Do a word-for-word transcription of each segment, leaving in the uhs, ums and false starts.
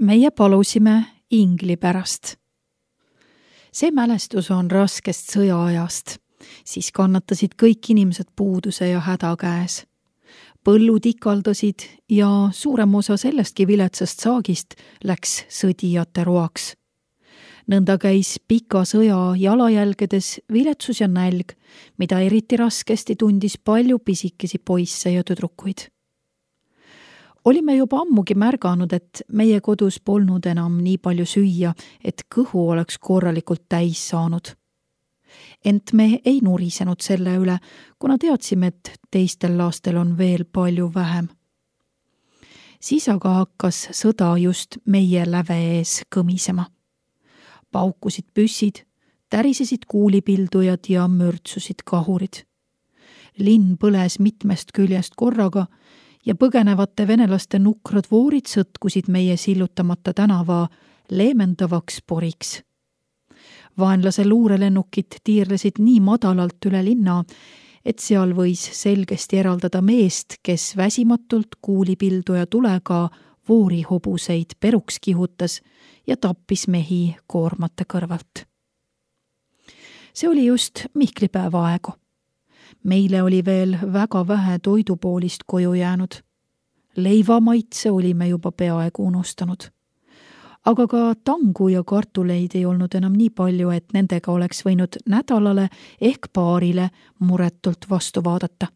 meie palusime ingli pärast. See mälestus on raskest sõjaajast, siis kannatasid kõik inimesed puuduse ja häda käes. Põllud ikaldasid ja suurem osa sellestki viletsast saagist läks sõdijate roaks. Nõnda käis pika sõja jalajälgedes viletsus ja nälg, mida eriti raskesti tundis palju pisikesi poisse ja tüdrukuid. Olime juba ammugi märganud, et meie kodus polnud enam nii palju süüa, et kõhu oleks korralikult täis saanud. Ent me ei nurisenud selle üle, kuna teadsime, et teistel lastel on veel palju vähem. Siis aga hakkas sõda just meie läve ees kõmisema. Paukusid püssid, tärisesid kuulipildujad ja mürtsusid kahurid. Linn põles mitmest küljest korraga ja põgenevate venelaste nukrad voorid sõtkusid meie sillutamata tänava leemendavaks poriks. Vaenlase luurelennukid tiirlesid nii madalalt üle linna, et seal võis selgesti eraldada meest, kes väsimatult kuulipilduja tulega voori hobuseid peruks kihutas ja tappis mehi koormate kõrvalt. See oli just Mihklipäeva aegu. Meile oli veel väga vähe toidupoolist koju jäänud. Leivamaitse olime juba peaaegu unustanud. Aga ka tangu ja kartuleid ei olnud enam nii palju, et nendega oleks võinud nädalale ehk paarile muretult vastu vaadata.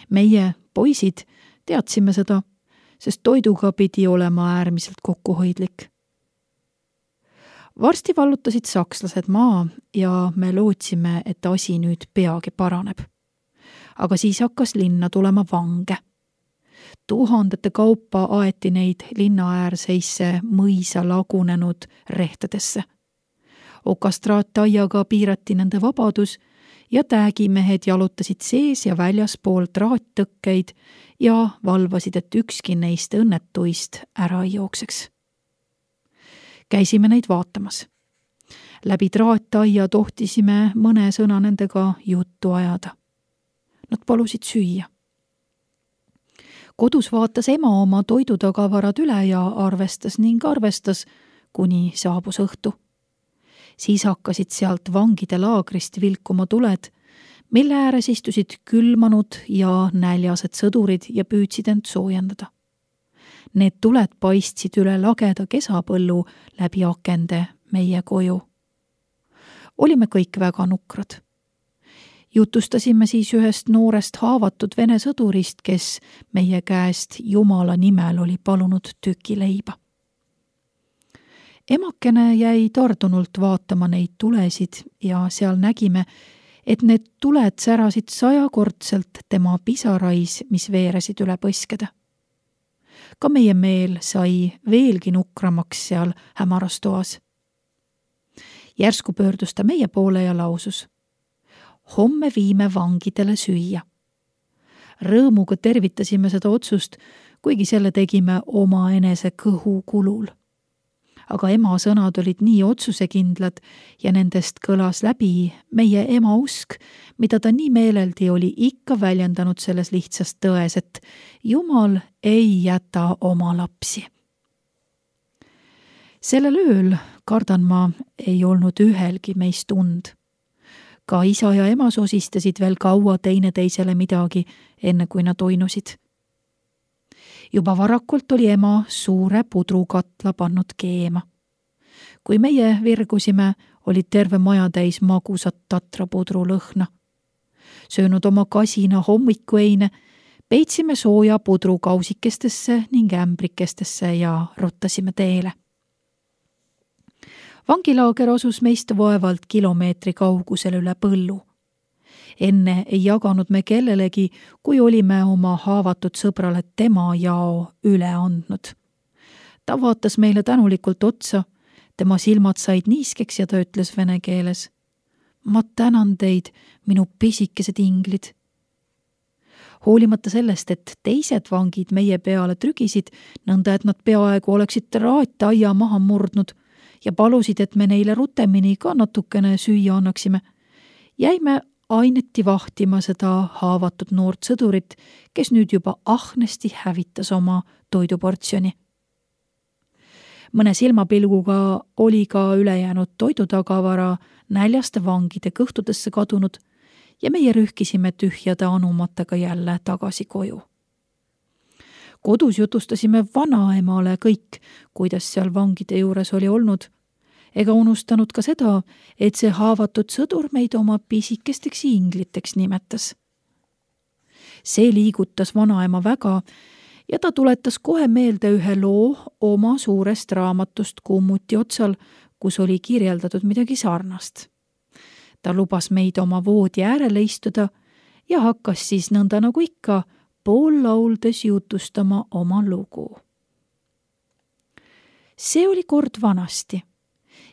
Meie, poisid, teadsime seda, sest toiduga pidi olema äärmiselt kokkuhoidlik. Varsti vallutasid sakslased maa ja me lootsime, et asi nüüd peagi paraneb. Aga siis hakkas linna tulema vange. Tuhandete kaupa aeti neid linna äärseisse mõisa lagunenud rehtedesse. Okastraataiaga piirati nende vabadus ja täägimehed jalutasid sees ja väljaspool traattõkkeid ja valvasid, et ükski neist õnnetuist ära ei jookseks. Käisime neid vaatamas. Läbi traattaia tohtisime mõne sõna nendega juttu ajada. Nad palusid süüa. Kodus vaatas ema oma toidutagavarad üle ja arvestas ning arvestas, kuni saabus õhtu. Siis hakkasid sealt vangide laagrist vilkuma tuled, mille ääres istusid külmanud ja näljased sõdurid ja püüdsid end soojendada. Need tuled paistsid üle lageda kesapõllu läbi akende meie koju. Olime kõik väga nukrad. Jutustasime siis ühest noorest haavatud vene sõdurist, kes meie käest Jumala nimel oli palunud tüki leiba. Emakene jäi tardunult vaatama neid tulesid ja seal nägime, et need tuled särasid sajakordselt tema pisarais, mis veeresid üle põskede. Ka meie meel sai veelgi nukramaks seal hämaras toas. Järsku pöördus ta meie poole ja lausus: homme viime vangidele süüa. Rõõmuga tervitasime seda otsust, kuigi selle tegime oma enese kõhu kulul. Aga ema sõnad olid nii otsusekindlad ja nendest kõlas läbi meie ema usk, mida ta nii meeleldi oli ikka väljendanud selles lihtsas tões, et Jumal ei jäta oma lapsi. Sellel ööl, kardan ma, ei olnud ühelgi meist und. Ka isa ja ema sosistasid veel kaua teineteisele midagi, enne kui nad oinusid. Juba varakult oli ema suure pudrukatla pannud keema. Kui meie virgusime, oli terve maja täis magusat tatrapudru lõhna. Söönud oma kasina hommikueine, peitsime sooja pudru kausikestesse ning ämbrikestesse ja ruttasime teele. Vangilaager asus meist vaevalt kilomeetri kaugusel üle põllu. Enne ei jaganud me kellelegi, kui olime oma haavatud sõbrale tema jao üle andnud. Ta vaatas meile tänulikult otsa, tema silmad said niiskeks ja ta ütles vene keeles: ma tänan teid, minu pisikesed inglid. Hoolimata sellest, et teised vangid meie peale trügisid, nõnda et nad peaaegu oleksid traattaia maha murdnud ja palusid, et me neile rutemini ka natukene süüa annaksime, jäime aineti vahtima seda haavatud noort sõdurit, kes nüüd juba ahnesti hävitas oma toiduportsjoni. Mõne silmapilguga oli ka ülejäänud toidutagavara näljaste vangide kõhtudesse kadunud ja meie rühkisime tühjade anumatega jälle tagasi koju. Kodus jutustasime vanaemale kõik, kuidas seal vangide juures oli olnud, ega unustanud ka seda, et see haavatud sõdur meid oma pisikesteks ingliteks nimetas. See liigutas vanaema väga ja ta tuletas kohe meelde ühe loo oma suurest raamatust kummuti otsal, kus oli kirjeldatud midagi sarnast. Ta lubas meid oma voodi äärele istuda ja hakkas siis nõnda nagu ikka pool lauldes jutustama oma lugu. See oli kord vanasti.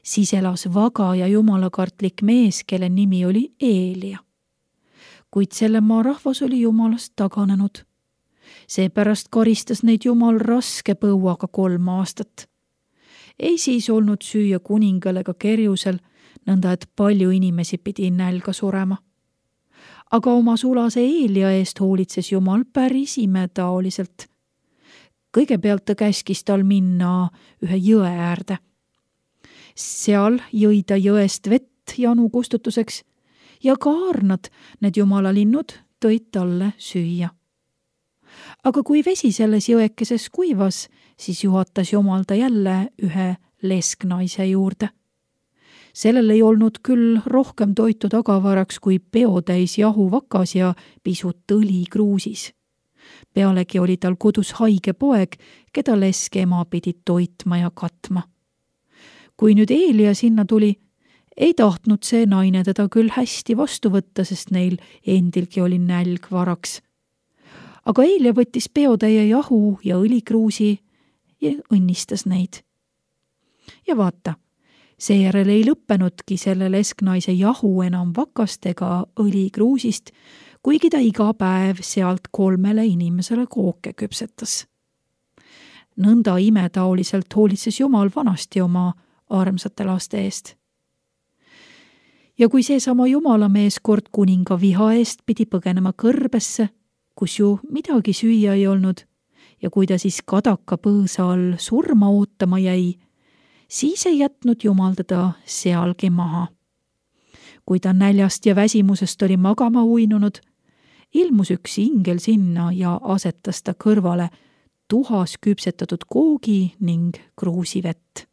Siis elas vaga ja jumalakartlik mees, kelle nimi oli Eelia. Kuid selle maa rahvas oli jumalast taganenud. Seepärast karistas neid jumal raske põuaga kolm aastat. Ei siis olnud süüa kuningal ega kerjusel, nõnda et palju inimesi pidi nälga surema. Aga oma sulase Eelia eest hoolitses jumal päris imetaoliselt. Kõigepealt ta käskis tal minna ühe jõe äärde. Seal jõi ta jõest vett janu kustutuseks ja kaarnad, need jumalalinnud, tõid talle süüa. Aga kui vesi selles jõekeses kuivas, siis juhatas jumal ta jälle ühe lesknaise juurde. Sellel ei olnud küll rohkem toitu tagavaraks kui peotäis jahu vakas ja pisut õli kruusis. Pealegi oli tal kodus haige poeg, keda leske ema pidi toitma ja katma. Kui nüüd Eelia sinna tuli, ei tahtnud see naine teda küll hästi vastu võtta, sest neil endilgi oli nälg varaks. Aga Eelia võttis peotäie jahu ja õlikruusi ja õnnistas neid. Ja vaata, seejärel ei lõppenudki selle lesknaise jahu enam vakast ega õlikruusist, kuigi ta iga päev sealt kolmele inimesele kooke küpsetas. Nõnda imetaoliselt hoolitses jumal vanasti oma armsate laste eest. Ja kui seesama jumalamees kord kuninga viha eest pidi põgenema kõrbesse, kus ju midagi süüa ei olnud, ja kui ta siis kadaka põõsa all surma ootama jäi, siis ei jätnud jumal teda sealgi maha. Kui ta näljast ja väsimusest oli magama uinunud, ilmus üks ingel sinna ja asetas ta kõrvale tuhas küpsetatud koogi ning kruusivett.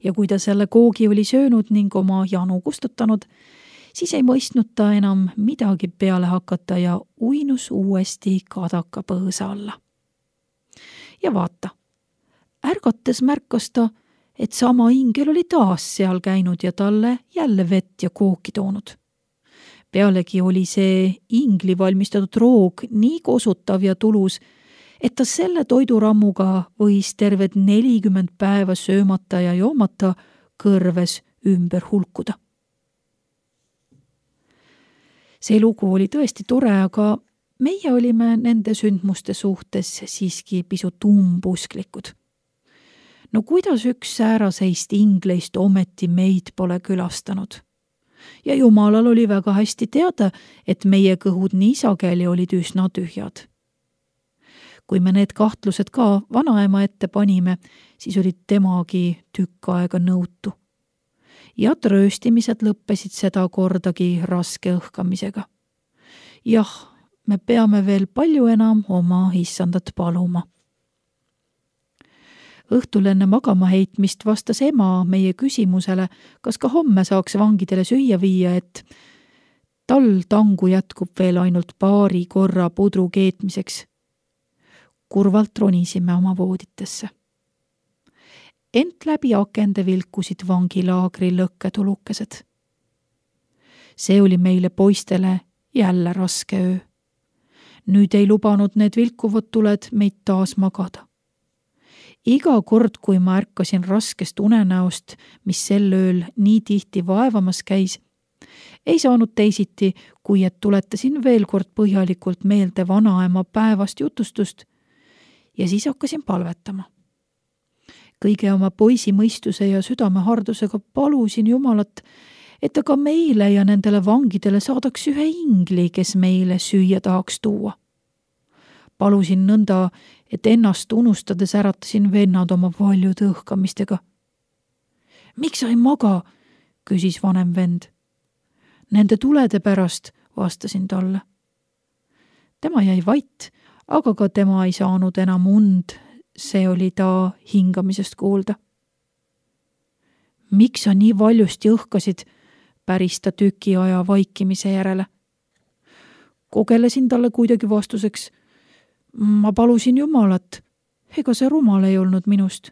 Ja kui ta selle koogi oli söönud ning oma janu kustutanud, siis ei mõistnud ta enam midagi peale hakata ja uinus uuesti kadaka põõsa alla. Ja vaata, ärgates märkas ta, et sama ingel oli taas seal käinud ja talle jälle vett ja kooki toonud. Pealegi oli see ingli valmistatud roog nii kosutav ja tulus, et ta selle toidurammuga võis terved nelikümmend päeva söömata ja joomata kõrves ümber hulkuda. See lugu oli tõesti tore, aga meie olime nende sündmuste suhtes siiski pisut umbusklikud. No kuidas üks sääraseist ingleist ometi meid pole külastanud? Ja jumalal oli väga hästi teada, et meie kõhud nii sageli olid üsna tühjad. Kui me need kahtlused ka vanaema ette panime, siis olid temagi tükk aega nõutu. Ja trööstimised lõppesid seda kordagi raske õhkamisega. Jah, me peame veel palju enam oma issandat paluma. Õhtul enne magama heitmist vastas ema meie küsimusele, kas ka homme saaks vangidele süüa viia, et tal tangu jätkub veel ainult paari korra pudru keetmiseks. Kurvalt ronisime oma vooditesse. Ent läbi akende vilkusid vangilaagri lõkketulukesed. See oli meile poistele jälle raske öö. Nüüd ei lubanud need vilkuvad tuled meid taas magada. Iga kord, kui ma ärkasin raskest unenäost, mis sel ööl nii tihti vaevamas käis, ei saanud teisiti, kui et tuletasin veel kord põhjalikult meelde vanaema päevast jutustust ja siis hakkasin palvetama. Kõige oma poisi mõistuse ja südamehardusega palusin Jumalat, et ta ka meile ja nendele vangidele saadaks ühe ingli, kes meile süüa tahaks tuua. Palusin nõnda, et ennast unustades äratasin vennad oma valjude õhkamistega. Miks sa ei maga? Küsis vanem vend. Nende tulede pärast, vastasin talle. Tema jäi vait, aga ka tema ei saanud enam und, see oli ta hingamisest kuulda. Miks sa nii valjusti õhkasid, päris ta tüki aja vaikimise järele. Kogelesin talle kuidagi vastuseks. Ma palusin Jumalat, ega see rumal ei olnud minust.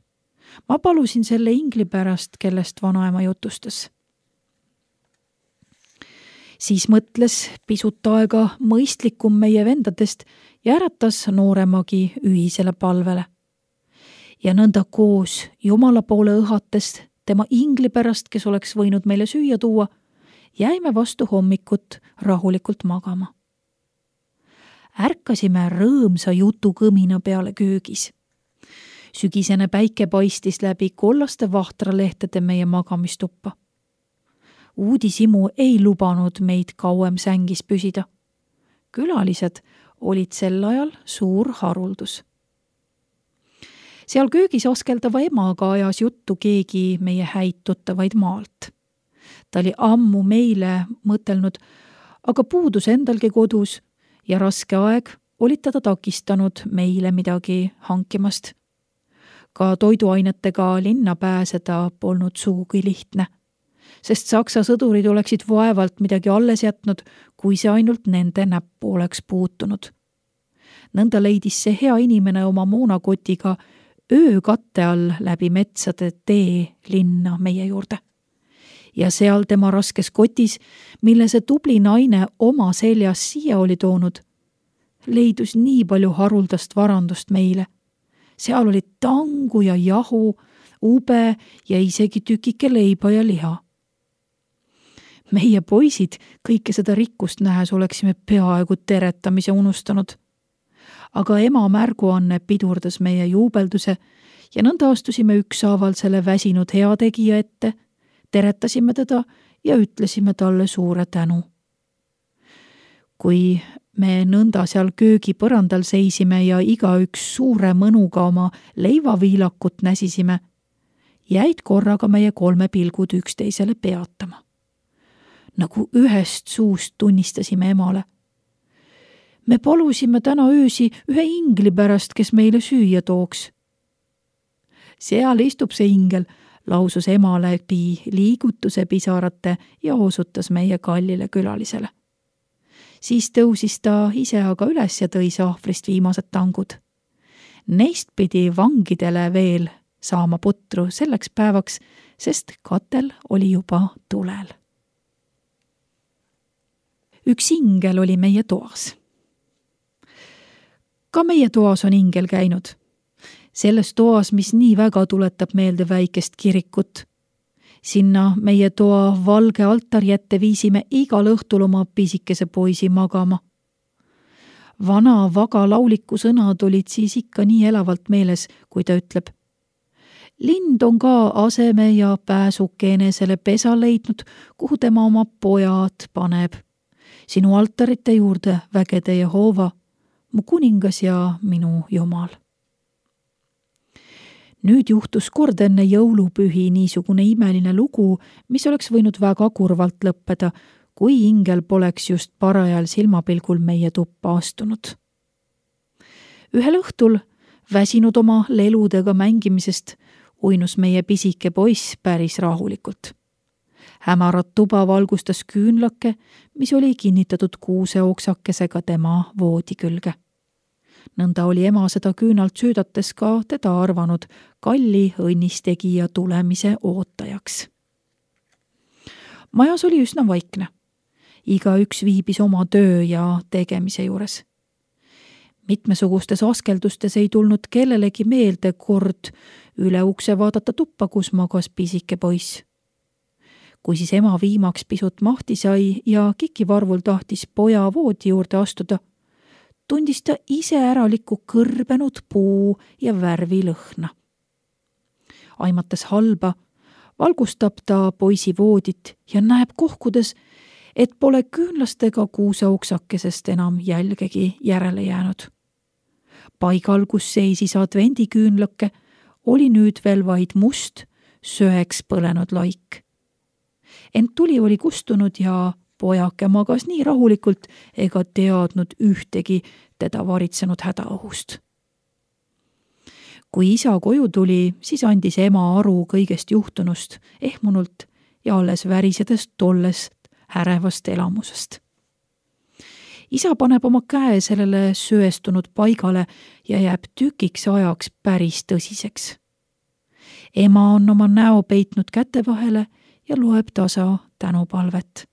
Ma palusin selle ingli pärast, kellest vanaema jutustas. Siis mõtles pisut aega mõistlikum meie vendadest ja äratas nooremagi ühisele palvele. Ja nõnda koos Jumala poole õhates tema ingli pärast, kes oleks võinud meile süüa tuua, jäime vastu hommikut rahulikult magama. Ärkasime rõõmsa jutukõmina peale köögis. Sügisene päike paistis läbi kollaste vahtralehtede meie magamistuppa. Uudisimu ei lubanud meid kauem sängis püsida. Külalised olid sel ajal suur haruldus. Seal köögis askeldava emaga ajas juttu keegi meie häid tuttavaid maalt. Ta oli ammu meile mõtelnud, aga puudus endalgi kodus ja raske aeg olid teda takistanud meile midagi hankimast. Ka toiduainetega linna pääseda polnud sugugi lihtne, sest saksa sõdurid oleksid vaevalt midagi alles jätnud, kui see ainult nende näppu oleks puutunud. Nõnda leidis see hea inimene oma moonakotiga öökatte all läbi metsade tee linna meie juurde. Ja seal tema raskes kotis, mille see tubli naine oma seljas siia oli toonud, leidus nii palju haruldast varandust meile. Seal oli tangu ja jahu, ube ja isegi tükike leiba ja liha. Meie poisid kõike seda rikkust nähes oleksime peaaegu teretamise unustanud. Aga ema märguanne pidurdas meie juubelduse ja nõnda astusime ükshaaval selle väsinud heategija ette, teretasime teda ja ütlesime talle suure tänu. Kui me nõnda seal köögi põrandal seisime ja igaüks suure mõnuga oma leivaviilakut näsisime, jäid korraga meie kolme pilgud üksteisele peatama. Nagu ühest suust tunnistasime emale. Me palusime täna öösi ühe ingli pärast, kes meile süüa tooks. Seal istub see ingel, lausus ema läbi liigutuse pisarate ja osutas meie kallile külalisele. Siis tõusis ta ise aga üles ja tõi sahvrist viimased tangud. Neist pidi vangidele veel saama putru selleks päevaks, sest katel oli juba tulel. Üks ingel oli meie toas. Ka meie toas on ingel käinud. Selles toas, mis nii väga tuletab meelde väikest kirikut. Sinna meie toa valge altari ette viisime igal õhtul oma pisikese poisi magama. Vana vaga lauliku sõnad olid siis ikka nii elavalt meeles, kui ta ütleb. Lind on ka aseme ja pääsuke enesele pesa leidnud, kuhu tema oma pojad paneb. Sinu altarite juurde vägede Jehova, mu kuningas ja minu Jumal. Nüüd juhtus kord enne jõulupühi niisugune imeline lugu, mis oleks võinud väga kurvalt lõppeda, kui ingel poleks just parajal silmapilgul meie tuppa astunud. Ühel õhtul, väsinud oma leludega mängimisest, uinus meie pisike poiss päris rahulikult. Hämarat tuba valgustas küünlake, mis oli kinnitatud kuuse oksakesega tema voodi külge. Nõnda oli ema seda küünalt süüdates ka teda arvanud kalli õnnistegija tulemise ootajaks. Majas oli üsna vaikne. Iga üks viibis oma töö ja tegemise juures. Mitmesugustes askeldustes ei tulnud kellelegi meelde kord üle ukse vaadata tuppa, kus magas pisike poiss. Kui siis ema viimaks pisut mahti sai ja kikivarvul tahtis poja voodi juurde astuda, tundis ta ise äralikku kõrbenud puu ja värvi lõhna. Aimates halba, valgustab ta poisi voodit ja näeb kohkudes, et pole küünlastega kuuse oksakesest enam jälgegi järele jäänud. Paigal, kus seisis advendiküünlake, oli nüüd veel vaid must, söeks põlenud laik. Ent tuli oli kustunud ja pojake magas nii rahulikult ega teadnud ühtegi teda varitsenud hädaohust. Kui isa koju tuli, siis andis ema aru kõigest juhtunust ehmunult ja alles värisedes tollest ärevast elamusest. Isa paneb oma käe sellele söestunud paigale ja jääb tükiks ajaks päris tõsiseks. Ema on oma näo peitnud käte vahele ja loeb tasa tänupalvet.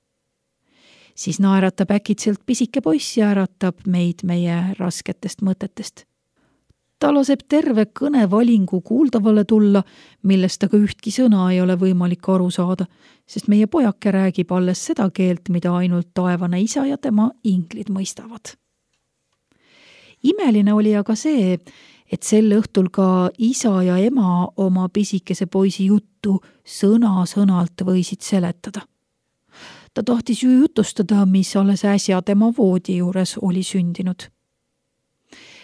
Siis naeratab äkitselt pisike poiss ja äratab meid meie rasketest mõtetest. Ta laseb terve kõnevalingu kuuldavale tulla, millest aga ühtki sõna ei ole võimalik aru saada, sest meie pojake räägib alles seda keelt, mida ainult taevane isa ja tema inglid mõistavad. Imeline oli aga see, et sel õhtul ka isa ja ema oma pisikese poisi juttu sõna-sõnalt võisid seletada. Ta tahtis ju jutustada, mis alles äsja tema voodi juures oli sündinud.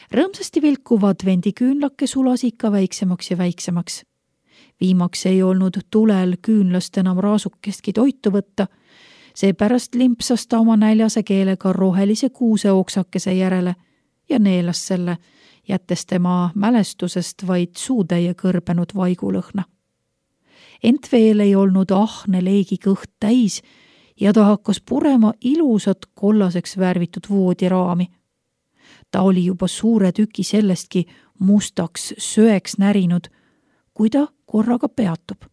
Rõõmsasti vilkuv advendiküünlake sulas ikka väiksemaks ja väiksemaks. Viimaks ei olnud tulel küünlast enam raasukestki toitu võtta, seepärast limpsas ta oma näljase keelega rohelise kuuse oksakese järele ja neelas selle, jättes tema mälestusest vaid suutäie kõrbenud vaigulõhna. Ent veel ei olnud ahne leegi kõht täis ja ta hakkas purema ilusat kollaseks värvitud voodiraami. Ta oli juba suure tüki sellestki mustaks söeks närinud, kui ta korraga peatub.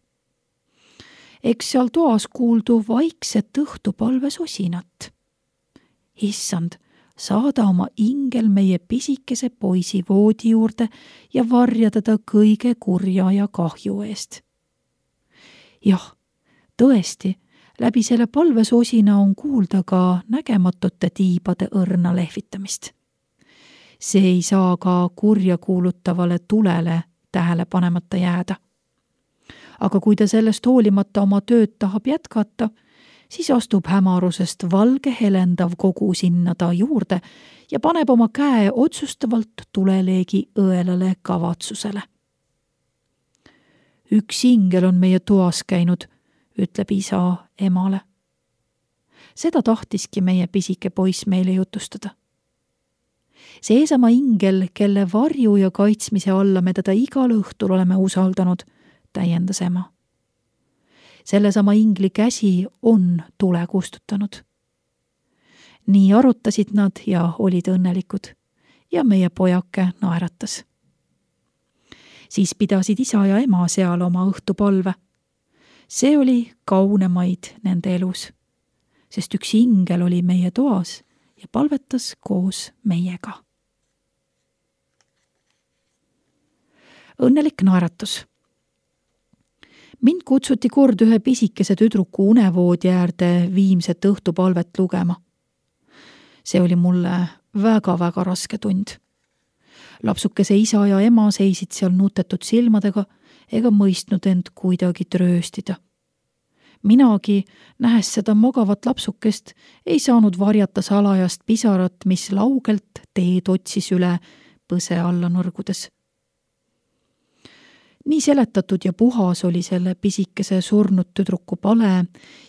Eks seal toas kuuldu vaikset õhtupalves osinat. Issand, saada oma ingel meie pisikese poisi voodi juurde ja varja teda kõige kurja ja kahju eest. Jah, tõesti, läbi selle palvesosina on kuulda ka nägematute tiibade õrna lehvitamist. See ei saa ka kurja kuulutavale tulele tähele panemata jääda. Aga kui ta sellest hoolimata oma tööd tahab jätkata, siis astub hämarusest valge helendav kogu sinna ta juurde ja paneb oma käe otsustavalt tuleleegi õelale kavatsusele. Üks ingel on meie toas käinud, ütleb isa emale. Seda tahtiski meie pisike poiss meile jutustada. Seesama ingel, kelle varju ja kaitsmise alla me teda igal õhtul oleme usaldanud, täiendas ema. Sellesama ingli käsi on tule kustutanud. Nii arutasid nad ja olid õnnelikud ja meie pojake naeratas. Siis pidasid isa ja ema seal oma õhtupalve. See oli kaunemaid nende elus, sest üks ingel oli meie toas ja palvetas koos meiega. Õnnelik naeratus. Mind kutsuti kord ühe pisikese tüdruku unevoodi äärde viimset õhtupalvet lugema. See oli mulle väga-väga raske tund. Lapsukese isa ja ema seisid seal nutetud silmadega ega mõistnud end kuidagi trööstida. Minagi, nähes seda magavat lapsukest, ei saanud varjata salajast pisarat, mis laugelt teed otsis üle põse alla nõrgudes. Nii seletatud ja puhas oli selle pisikese surnud tüdruku pale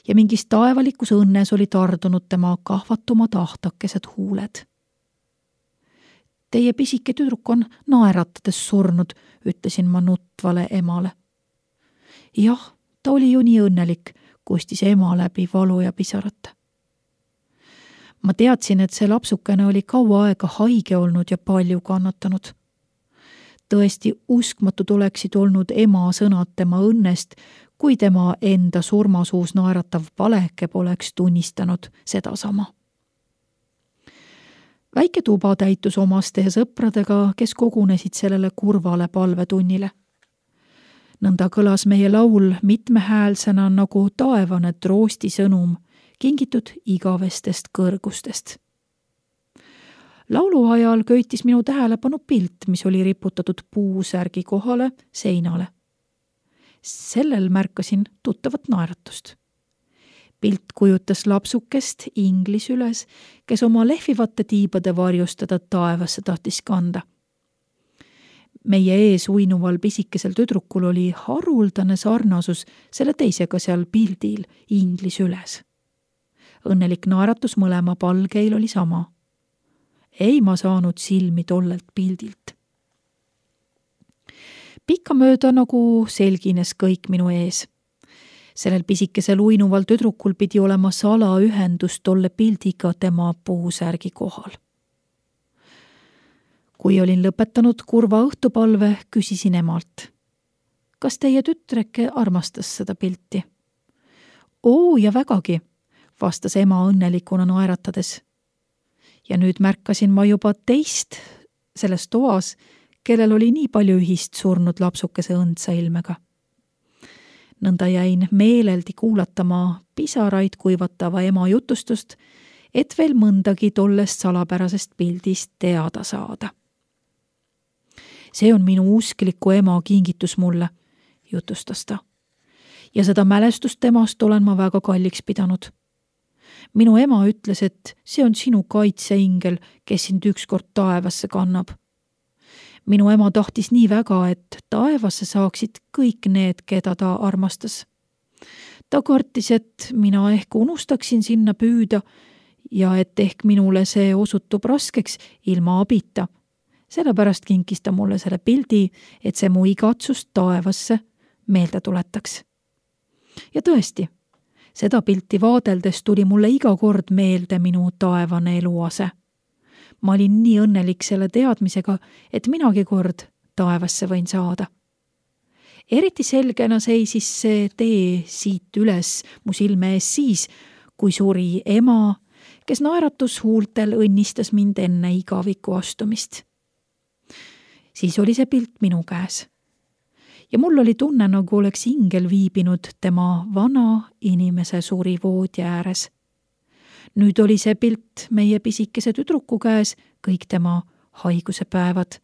ja mingis taevalikus õnnes oli tardunud tema kahvatumad ahtakesed huuled. Teie pisike tüdruk on naeratades surnud, ütlesin ma nutvale emale. Jah, ta oli ju nii õnnelik, kustis ema läbi valu ja pisarate. Ma teadsin, et see lapsukene oli kaua aega haige olnud ja palju kannatanud. Tõesti uskmatud oleksid olnud ema sõnad tema õnnest, kui tema enda surmasuus naeratav paleke poleks tunnistanud sedasama. Väike tuba täitus omaste ja sõpradega, kes kogunesid sellele kurvale palvetunnile. Nõnda kõlas meie laul mitmehäälsena nagu taevane troosti sõnum, kingitud igavestest kõrgustest. Laulu ajal köitis minu tähelepanu pilt, mis oli riputatud puusärgi kohale seinale. Sellel märkasin tuttavat naeratust. Pilt kujutas lapsukest inglis üles, kes oma lehvivate tiibade varjust teda taevasse tahtis kanda. meie ees uinuval pisikesel tüdrukul oli haruldane sarnasus selle teisega seal pildil ingli süles. Õnnelik naeratus mõlema palgeil oli sama. Ei ma saanud silmi tollelt pildilt. Pikkamööda nagu selgines kõik minu ees. Sellel pisikesel uinuval tüdrukul pidi olema salaühendus tolle pildiga tema puusärgi kohal. Kui olin lõpetanud kurva õhtupalve, küsisin emalt. Kas teie tütreke armastas seda pilti? Oo ja vägagi, vastas ema õnnelikuna naeratades. Ja nüüd märkasin ma juba teist selles toas, kellel oli nii palju ühist surnud lapsukese õndsa ilmega. Nõnda jäin meeleldi kuulatama pisaraid kuivatava ema jutustust, et veel mõndagi tollest salapärasest pildist teada saada. See on minu uskliku ema kingitus mulle, jutustas ta. Ja seda mälestust temast olen ma väga kalliks pidanud. Minu ema ütles, et see on sinu kaitseingel, kes sind ükskord taevasse kannab. Minu ema tahtis nii väga, et taevasse saaksid kõik need, keda ta armastas. Ta kartis, et mina ehk unustaksin sinna püüda ja et ehk minule see osutub raskeks ilma abita. Sellepärast kinkis ta mulle selle pildi, et see mu igatsust taevasse meelde tuletaks. Ja tõesti, seda pilti vaadeldes tuli mulle iga kord meelde minu taevane eluase. Ma olin nii õnnelik selle teadmisega, et minagi kord taevasse võin saada. Eriti selgena seisis see tee siit üles mu silme ees siis, kui suri ema, kes naeratus huultel õnnistas mind enne igaviku astumist. Siis oli see pilt minu käes. Ja mul oli tunne, nagu oleks ingel viibinud tema vana inimese suri voodi ääres. Nüüd oli see pilt meie pisikese tüdruku käes kõik tema haiguse päevad.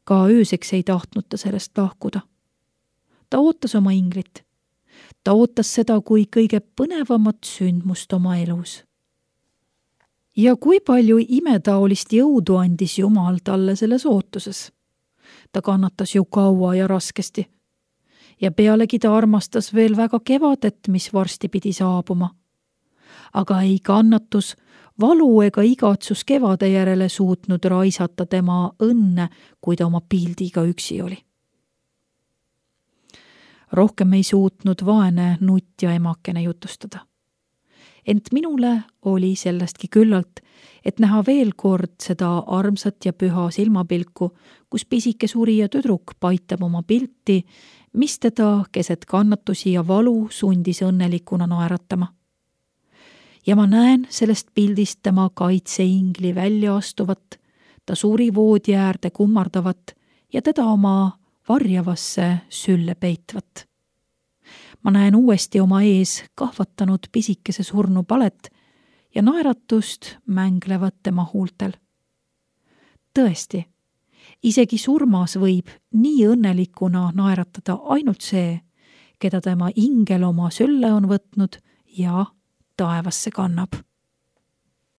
Ka ööseks ei tahtnud ta sellest lahkuda. Ta ootas oma inglit. Ta ootas seda kui kõige põnevamat sündmust oma elus. Ja kui palju imetaolist jõudu andis Jumal talle selles ootuses. Ta kannatas ju kaua ja raskesti. Ja pealegi ta armastas veel väga kevadet, mis varsti pidi saabuma. Aga ei kannatus, valu ega igatsus kevade järele suutnud raisata tema õnne, kui ta oma pildiga üksi oli. Rohkem ei suutnud vaene nutja emakene jutustada. Ent minule oli sellestki küllalt, et näha veel kord seda armsat ja püha silmapilku, kus pisike surija tüdruk paitab oma pilti, mis teda keset kannatusi ja valu sundis õnnelikuna naeratama. Ja ma näen sellest pildist tema kaitseingli välja astuvat, ta suri voodi äärde kummardavat ja teda oma varjavasse sülle peitvat. Ma näen uuesti oma ees kahvatanud pisikese surnu palet ja naeratust mänglevat tema huultel. Tõesti, isegi surmas võib nii õnnelikuna naeratada ainult see, keda tema ingel oma sülle on võtnud ja taevasse kannab.